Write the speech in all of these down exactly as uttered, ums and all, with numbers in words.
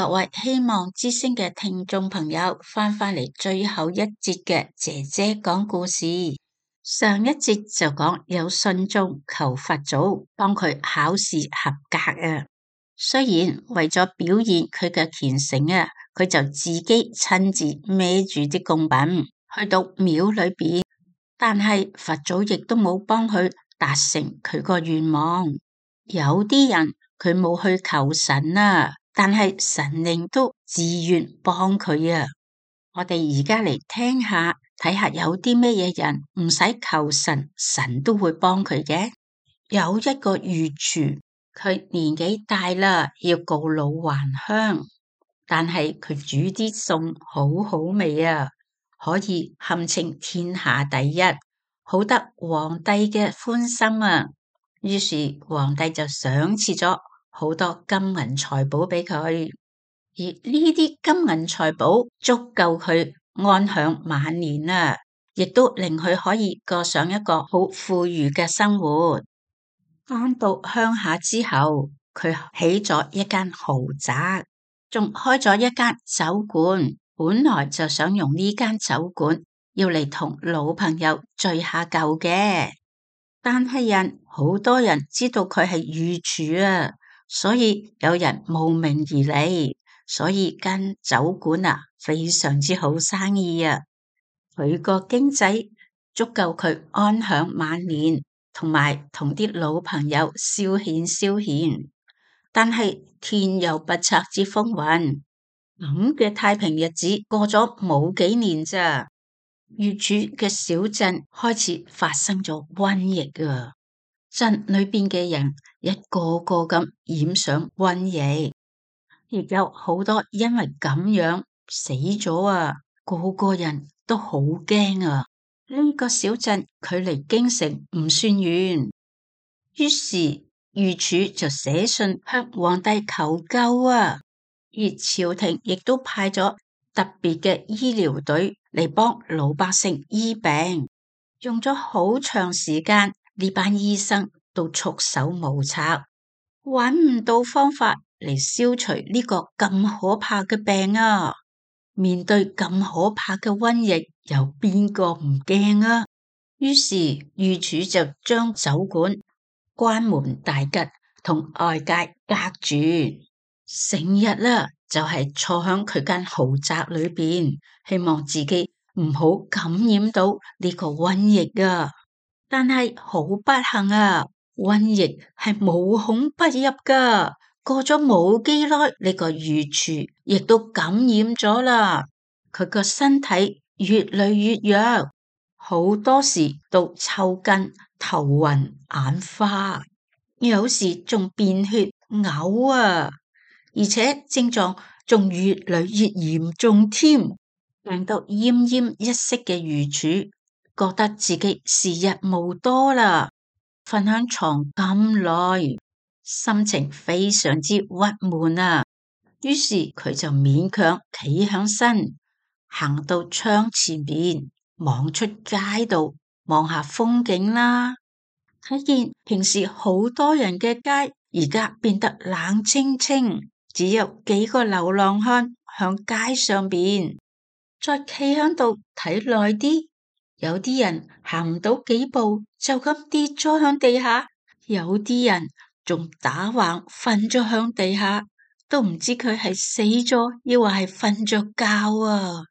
各位希望之聲嘅聽眾朋友翻返嚟最後一節嘅姐姐講故事。上一節就講有信眾求佛祖幫佢考試合格啊，雖然為咗表現佢嘅虔誠啊，佢就自己親自孭住啲供品去到廟裏邊，但係佛祖亦都冇幫佢達成佢個願望。有啲人佢冇去求神啊，但係神靈都自願幫佢啊！我哋而家嚟聽下，睇下有啲咩嘢人唔使求神，神都會幫佢嘅。有一個御廚，佢年紀大啦，要告老還鄉，但係佢煮啲餸好好味啊，可以堪稱天下第一，好得皇帝嘅歡心啊！於是皇帝就賞賜咗好多金銀財寶俾佢，而呢啲金銀財寶足夠佢安享晚年啦，亦都令佢可以過上一個好富裕嘅生活。返到鄉下之後，佢起咗一間豪宅，仲開咗一間酒館。本來就想用呢間酒館要嚟同老朋友聚下舊嘅。但係人好多人知道佢係御廚啊，所以有人慕名而嚟，所以間酒館啊非常之好生意啊。佢個經濟足夠佢安享晚年，同埋同啲老朋友消遣消遣。但係天有不測之風雲，咁嘅太平日子過咗冇幾年咋。御廚嘅小鎮開始發生咗瘟疫啊！鎮裏邊嘅人一個個咁染上瘟疫，亦有好多因為咁樣死咗啊！個個人都好驚啊！呢個小鎮距離京城唔算遠，於是御廚就寫信向皇帝求救啊！而朝廷亦都派咗特別嘅醫療隊嚟幫老百姓醫病，用咗好長時間，呢班醫生都束手無策，揾唔到方法嚟消除呢個咁可怕嘅病啊！面對咁可怕嘅瘟疫，有邊個唔驚啊？於是御廚就將酒館關門大吉，同外界隔絕，成日啦就係坐響佢間豪宅裏邊，希望自己唔好感染到呢個瘟疫啊！但係好不幸啊，瘟疫係無孔不入噶。過咗冇幾耐，呢個御廚亦都感染咗啦。佢個身體越嚟越弱，好多時都抽筋、頭暈、眼花，有時仲便血、嘔啊！而且症狀仲越嚟越嚴重添，病到奄奄一息嘅御廚覺得自己時日無多啦，瞓響床咁耐，心情非常之鬱悶啊。於是佢就勉強企響身，行到窗前邊，望出街度望下風景啦。睇見平時好多人嘅街，而家變得冷清清，只有幾個流浪漢響街上邊。再企響度睇耐啲，有啲人行唔到幾步就咁跌咗響地下，有啲人仲打橫瞓咗響地下，都唔知佢係死咗，抑或係瞓着覺啊！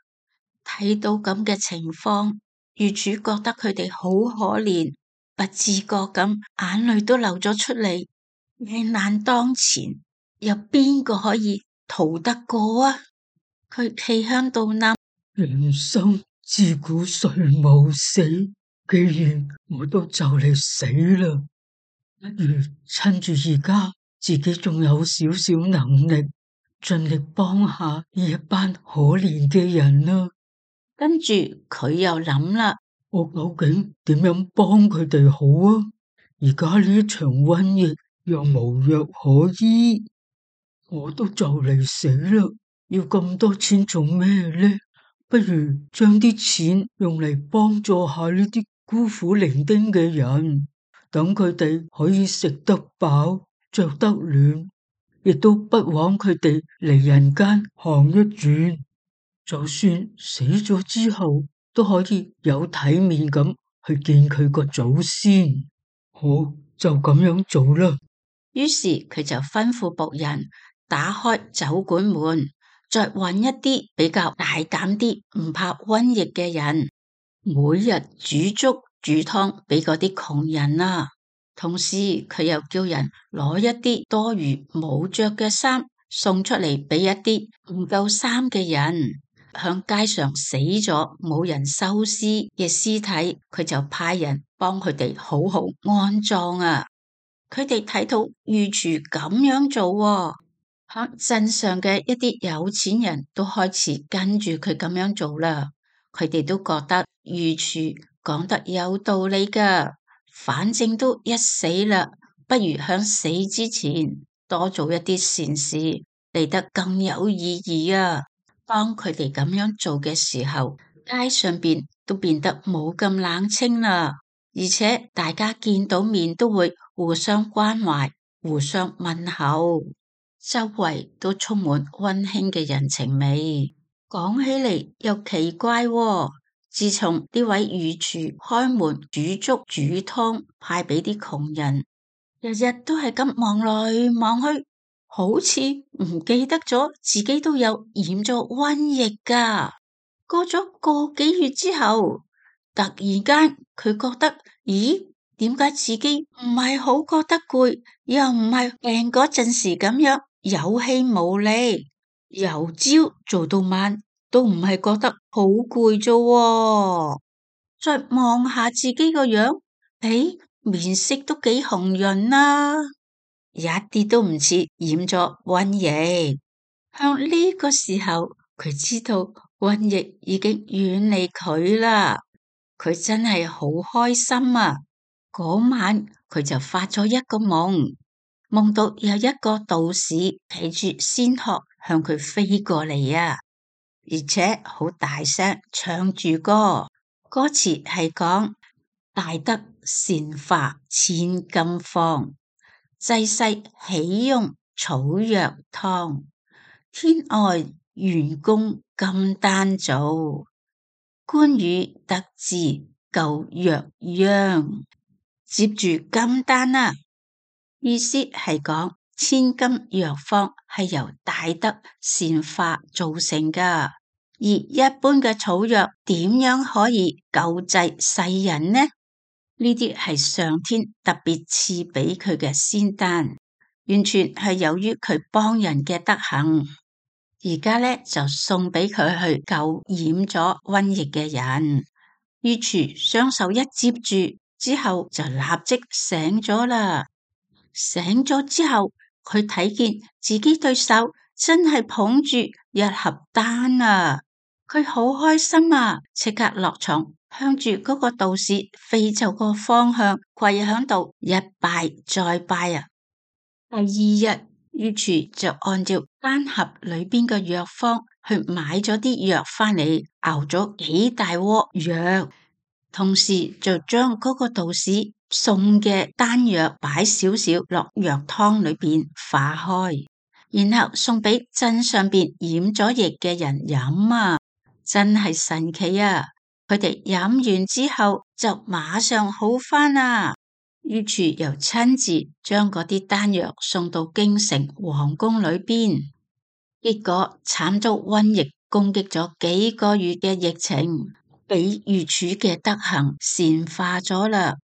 睇到咁嘅情況，御廚覺得佢哋好可憐，不自覺咁眼淚都流咗出嚟。危難當前，有邊個可以逃得過啊？佢企響度諗，人生自古誰無死？既然我都就嚟死啦，不如趁住而家自己仲有少少能力，盡力幫下呢一班可憐嘅人啦。跟住佢又諗啦，我究竟點樣幫佢哋好啊？而家呢場瘟疫又無藥可醫，我都就嚟死啦，要咁多錢做咩呢？不如將啲錢用嚟幫助下呢啲孤苦伶仃嘅人，等佢哋可以食得飽、着得暖，亦都不枉佢哋嚟人間行一轉，就算死咗之後都可以有體面咁去見佢個祖先。好，就咁樣做啦。於是佢就吩咐僕人打開酒館門，再揾一啲比較大膽啲、唔怕瘟疫嘅人，每日煮粥煮湯俾嗰啲窮人啊。同時佢又叫人攞一啲多餘冇着嘅衫送出嚟俾一啲唔夠衫嘅人。向街上死咗冇人收屍嘅屍體，佢就派人幫佢哋好好安葬啊。佢哋睇到御廚咁樣做喎，響鎮上嘅一啲有錢人都開始跟住佢咁樣做啦。佢哋都覺得御廚講得有道理噶，反正都一死啦，不如響死之前多做一啲善事，嚟得更有意義啊。當佢哋咁樣做嘅時候，街上邊都變得冇咁冷清啦，而且大家見到面都會互相關懷、互相問候，周圍都充滿溫馨嘅人情味。講起嚟又奇怪喎，自從呢位御廚開門煮粥煮湯派俾啲窮人，日日都係咁望來望去，好似唔記得咗自己都有染咗瘟疫噶。過咗個幾月之後，突然間佢覺得，咦，點解自己唔係好覺得攰，又唔係病嗰陣時咁樣有氣無力，由朝做到晚都唔係覺得好攰啫。再望下自己個樣，誒，面色都幾紅潤啦，一啲都唔似染咗瘟疫。向呢個時候，佢知道瘟疫已經遠離佢啦。佢真係好開心啊！嗰晚佢就發咗一個夢，夢到有一個道士騎住仙鶴向佢飛過嚟啊，而且好大聲唱住歌，歌詞係講大德善化千金方，濟世喜用草藥湯，天外元功金丹造，官羽得志救藥殃。接住金丹啦，意思係講千金藥方係由大德善化造成噶，而一般嘅草藥點樣可以救濟世人呢？呢啲係上天特別賜俾佢嘅仙丹，完全係由於佢幫人嘅德行。而家咧就送俾佢去救染咗瘟疫嘅人。御廚雙手一接住之後就立即醒咗啦。醒咗之後，佢睇見自己對手真係捧住一盒丹啊！佢好開心啊，即刻落床向住嗰個道士飛走個方向跪響度一拜再拜啊！第二日，御廚就按照丹盒裏邊嘅藥方去買咗啲藥返嚟，熬咗幾大鍋藥，同時就將嗰個道士送嘅丹藥擺少少落藥湯裏邊化開，然後送俾鎮上邊染咗疫嘅人飲啊！真係神奇啊！佢哋飲完之後就馬上好返啊！御廚又親自將嗰啲丹藥送到京城皇宮裏邊，結果慘遭瘟疫攻擊咗幾個月嘅疫情，俾御廚嘅德行善化咗啦。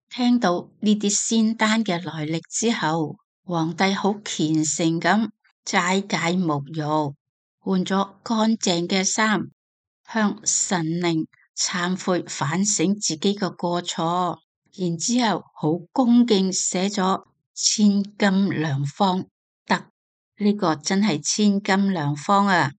聽到呢啲仙丹嘅來歷之後，皇帝好虔誠咁齋戒沐浴，換咗乾淨嘅衫，向神靈懺悔反省自己嘅過錯。然之後好恭敬寫咗千金良方得，呢個真係千金良方啊！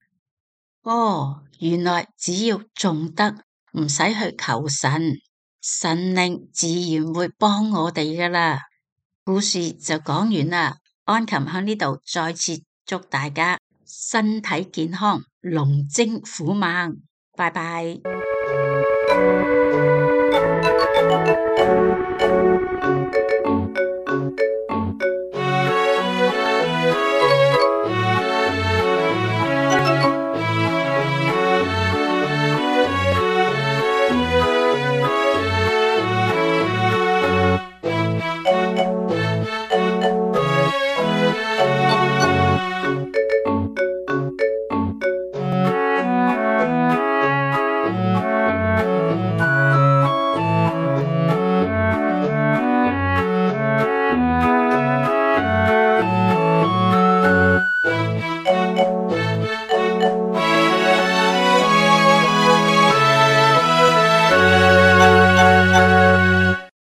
哦，原來只要種德，唔使去求神，神靈自然會幫我哋噶啦。故事就講完啦，安琴喺呢度再次祝大家身體健康，龍精虎猛，拜拜。